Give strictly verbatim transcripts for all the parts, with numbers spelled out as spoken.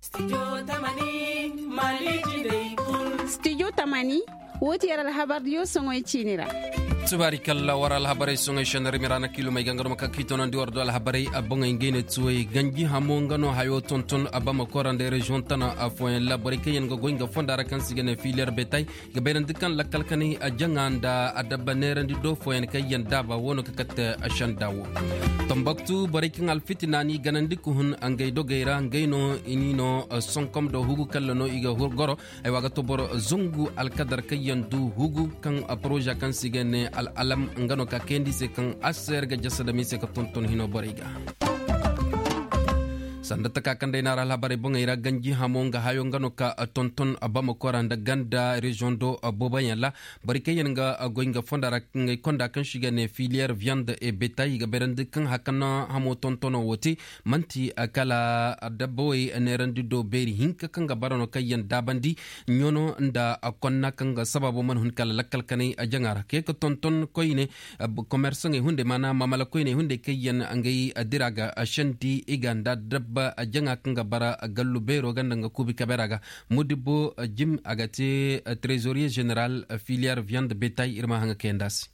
Studio tamani, woo ti yer alhabardiyo soŋey ciini ra. Subaari kalla war alhabarey soŋey šenarimi ra na kiilumey ga nga no ma ka kiitonandi war do alhabarey a boŋey ngey ne tuwey ganji hamo nga no hayo tonton a bama kora nda reziyoŋ tana a fooyaŋ ra borey kaŋ yaŋ ga goy nga fonda ra kaŋ se i ga ne filiyar betay i ga bayrandi kaŋ lakkal kanay a jaŋa nda adabba neerandi do fooyaŋ kaŋ yaŋ daaba woo no ka kate a senda wo. Tambaktu borey kaŋ alfitina n'i ganandi ka hun ngey dogey ra ngey no i n'i no sonkom do hugu kalla no i ga goro. Ay wa ga to boro zangu alkadar kaŋ yaŋ du hugu kaŋ poroza kaŋ se i ga ne al'alam nga no ka kayandi i se kaŋ aseer ga jasa dam i se ka tonton hino borey ga. Sanda taka kaŋ day naara alhabarey boŋey ra ganji hamo nga hayo nga no ka tonton bamako ra nda ganda reziyoŋ do booboyaŋ ra. Borey kaŋ yaŋ ga goy nga fonda ra ngey konda kaŋ se i ga ne filiyar viyand e betay i ga bayrandi kaŋ hakan hamo tontono wo te man'ti kala adabba wey neerandi do beeri hinka kaŋ ga bara no kaŋ yaŋ daabandi ɲono nda konna kaŋ ga sababo mana hun kala lakkal kanay jaŋa ra kay ka tonton koyne. Komersaŋey hunday maana mamala koyney hunday kaŋ yaŋ ngey dira ga sendi i ga nda dabba jaŋa kaŋ ga bara gallu beero ga nda nga kuubi kabera ga. Modibo jim a ga te trezoriye zeneral filiyar viyand betay ir ma haŋa kayandi a se.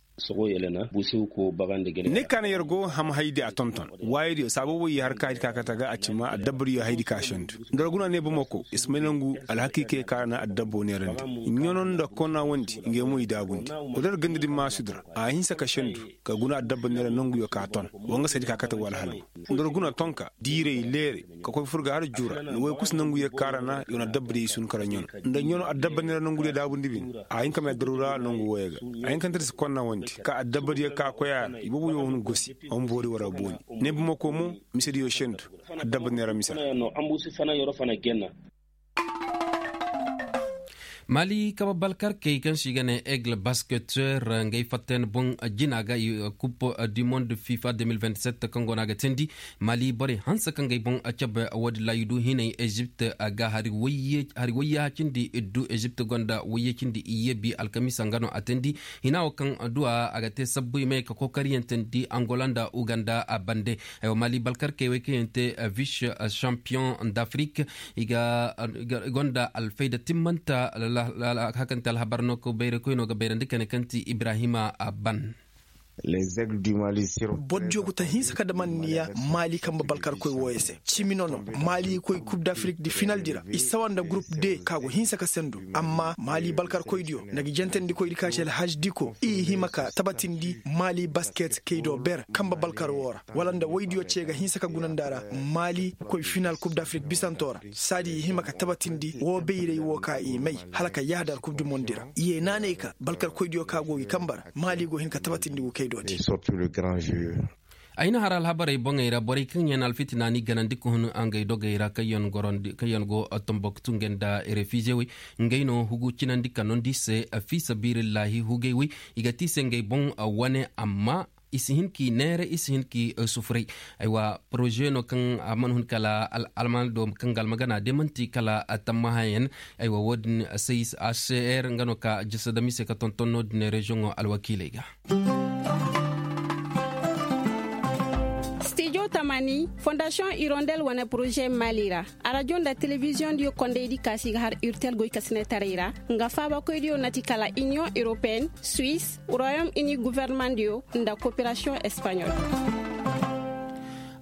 Ni kaana yer go ham haydi a tonton waayadiyo saababoo i har ka haydi ka kate ga a cima adabba diyo haydi ka sendu. Nda ra guna ne bamako i si may nangu alhakiikey ka ra na adabbo neerandi ɲono nda konna wondi ngey mo i daabundi. Wala ra ganda din maasudi ra a hinsa ka sendu ka guna adabba neera nanguyo ka ton. Wa nga se di ka kate wala halgu nda ra guna tonka diirey leere ka koy fur ga har juu ra nda woy kusa nanguyo ka ra na yoona adabba diyo i sun kara ɲono nda ɲono adabba neera nangudiyo daabundi bine. A hin ka may daru ra nangu woyo ga a hin ka nta da si konna wondi ka adabba diyo ka koy a ra iboobo yo hun gosi. Homboori war a booni ne bamako mo mise diyo sendu. Adabba neera mise ra. Maali kaba balkarkey kaŋ se i ga ne aigle basketeur ngey fatta yaŋ boŋ jina ga kup du monde fifa deux mille vingt-sept kaŋ go no a ga teendi. Maali borey hanse kaŋ gay boŋ cabe woodin ra i du hinay ezipt ga hari wayyaha cindi iddu ezipt gonda wayye cindi iyye bi alkamiisa nga no a teendi. Hina wo kaŋ duwa a ga te sabbu i may ka kookariyaŋ teendi angola nda uganda a bande. Maali balkarkey wey kaŋ yaŋ te vice champion d'afrique i gonda alfayda timmanta. Hakante alhabar no ka bayraykoy no ga bayrandi kane kaŋ ti ibrahima ban. Boro diyo go ta hinsa ka damanniya maali kambe balkarkoy wooyo se cimi no no maali koy kub d'afrique di final di ra i sawa nda gurup de ka go hinsa ka sendu. Amma maali balkarkoydiyo nda ga jentandikoydi ka ci alhaj diko i hima ka tabatindi maali basket kaydo ber kambe balkar woo ra wala nda woydiyo ce ga hinsa ka gunandi a ra. Maali koy final kub d'afrique bisanto ra saadi i hima ka tabatindi woo bayray woo ka i may hala ka yahadar kub du mondi ra i ye naanay ka balkarkoydiyo ka go gi kambe ra. Maali go hin ka tabatindi gu kaydo di. Ay na har alhabarey boŋey ra borey kaŋ yaŋ alfitina n'i ganandi ka hun ngey dogey ra kaŋ yaŋ go tomboktu ngey nda refize wey ngey no hugu cinandi ka nondi se. Fi sabilillahi hugey wey i ga ti se ngey boŋ wane amma i si hin k'i neere i si hin k'i sufuray. Aywa poroze no kaŋ a mana hun kala almaana do kaŋ ga almagana de man'ti kala tammahayaŋ. Aywa wo-din sayis hcr nga no ka jasa dam i se ka tonton no-din reziyoŋo alwakiiley ga. Stijo tamani fondasiyoŋ irondel wane poroze maali ra arajo nda telebiziyoŋ diyo kondaydi kaasi ga har urtel goy kasinetaray ra. Nga faabakoydiyo na ti kala iniyoŋ europeen, suwis, royom ini guvernemandiyo nda koperasiyoŋ espaɲol.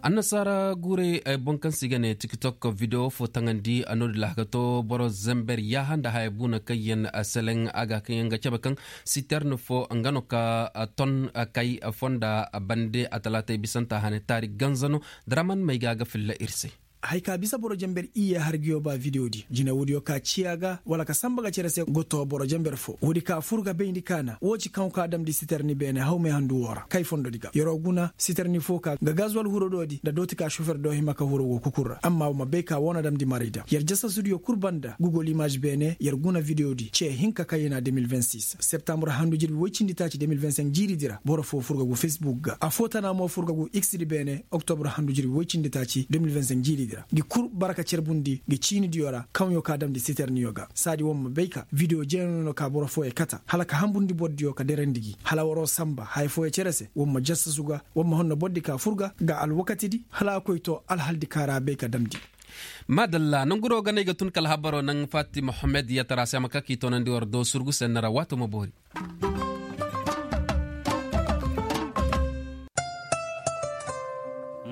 Annasaara guurey boŋ kaŋ se i ga ne tiktok videwo fo taŋandi a no-din ra a ga to boro zember yaaha nda haya buuna kaŋ yaŋ seleŋ a ga kaŋ yaŋ ga cabe kaŋ siterne fo nga no ka ton kay fonda bande a talaatey bisanta hane taari ganza no. Daraman may ga a ga filla ir se. Hay ka bisa boro jamber iyye har ga yoba video di jine woodiyo ka ciya ga wala ka samba ga cere se go to boro jamber fo woodi ka fur ga bayndi kaana wo ci kaŋ ka damndi siterni beene hawmay handu wo ra kay fondodi ga yer'o guna siterni fo ka ga gazwal huro doodi nda dooti ka sofer do hima ka huro go kukur ra amma wo ma bay ka wo na damndi maray da yer jasasudiyo kul banda google image beene yer guna video di ce hinka kaŋ yena deux mille vingt-six septembre handu jirbi woy cindi taaci deux mille vingt-cinq jiiridi ra boro fo fur ga gu facebook ga afo tana mo fur ga gu x di beene oktobre handu jirbi woy cindi taaci deux mille vingt-cinq jiiridi ra gi kul bara ka cerbundi gi ciinidiyo ra kaŋyo ka damndi siterniyo ga saadi wo ma bay ka video jeeno no ka boro fooyo kata hala ka hambundi bordiyo ka derandi gi hala war'o samba haya fooyo cere se wo ma jasasu ga wo ma honno bordi ka fur ga ga alwakatidi hala a koy to alhaldi ka ra a bay ka damndi. Maadalla nangu no ga no ay ga tun kala habaro naŋ faati mohammed yatara se a ma ka k'i toonandi war do surgu sennara waato ma boori.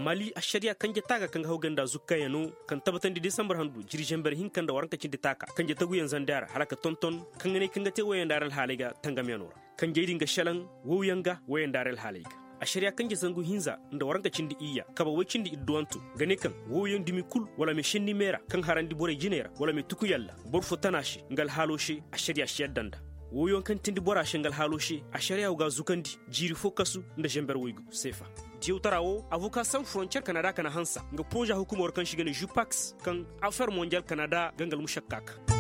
Mali ašariya kanje taaga kaŋ ga haw ganda zukkayaŋo kaŋ tabatandi desambar handu jiri zamber hinka nda waranka cindi taaka kanje taguyaŋ zandi a ra hala ka tonton kaŋ ga ne kaŋ ga te woyey nda a ra alhaaley ga tangamyaŋo ra. Kanjey din ga šelaŋ wowyaŋ ga woyey nda a ra alhaaley ga. Ašariya kanje zangu hinza nda waranka cindi iyya kaba woy cindi idduwanto ga ne kaŋ wowyaŋ dumi kul wala me šenni meera kaŋ harandi borey jiney ra wala me tukuyaŋ ra boro fo tana se nga alhaalo se ašariya si yadda nda. Wowyaŋ kaŋ tindi bora se nga alhaalo se ašariya wo ga a zukandi jiiri fo kasu nda zamber woygu seefa. Diyawtara wo avoka san frontiyer kanada kana hansa nga poroza hukumo ra kaŋ se i ga ne jupaks kaŋ afer monjal kanada ga nga almušakka ka.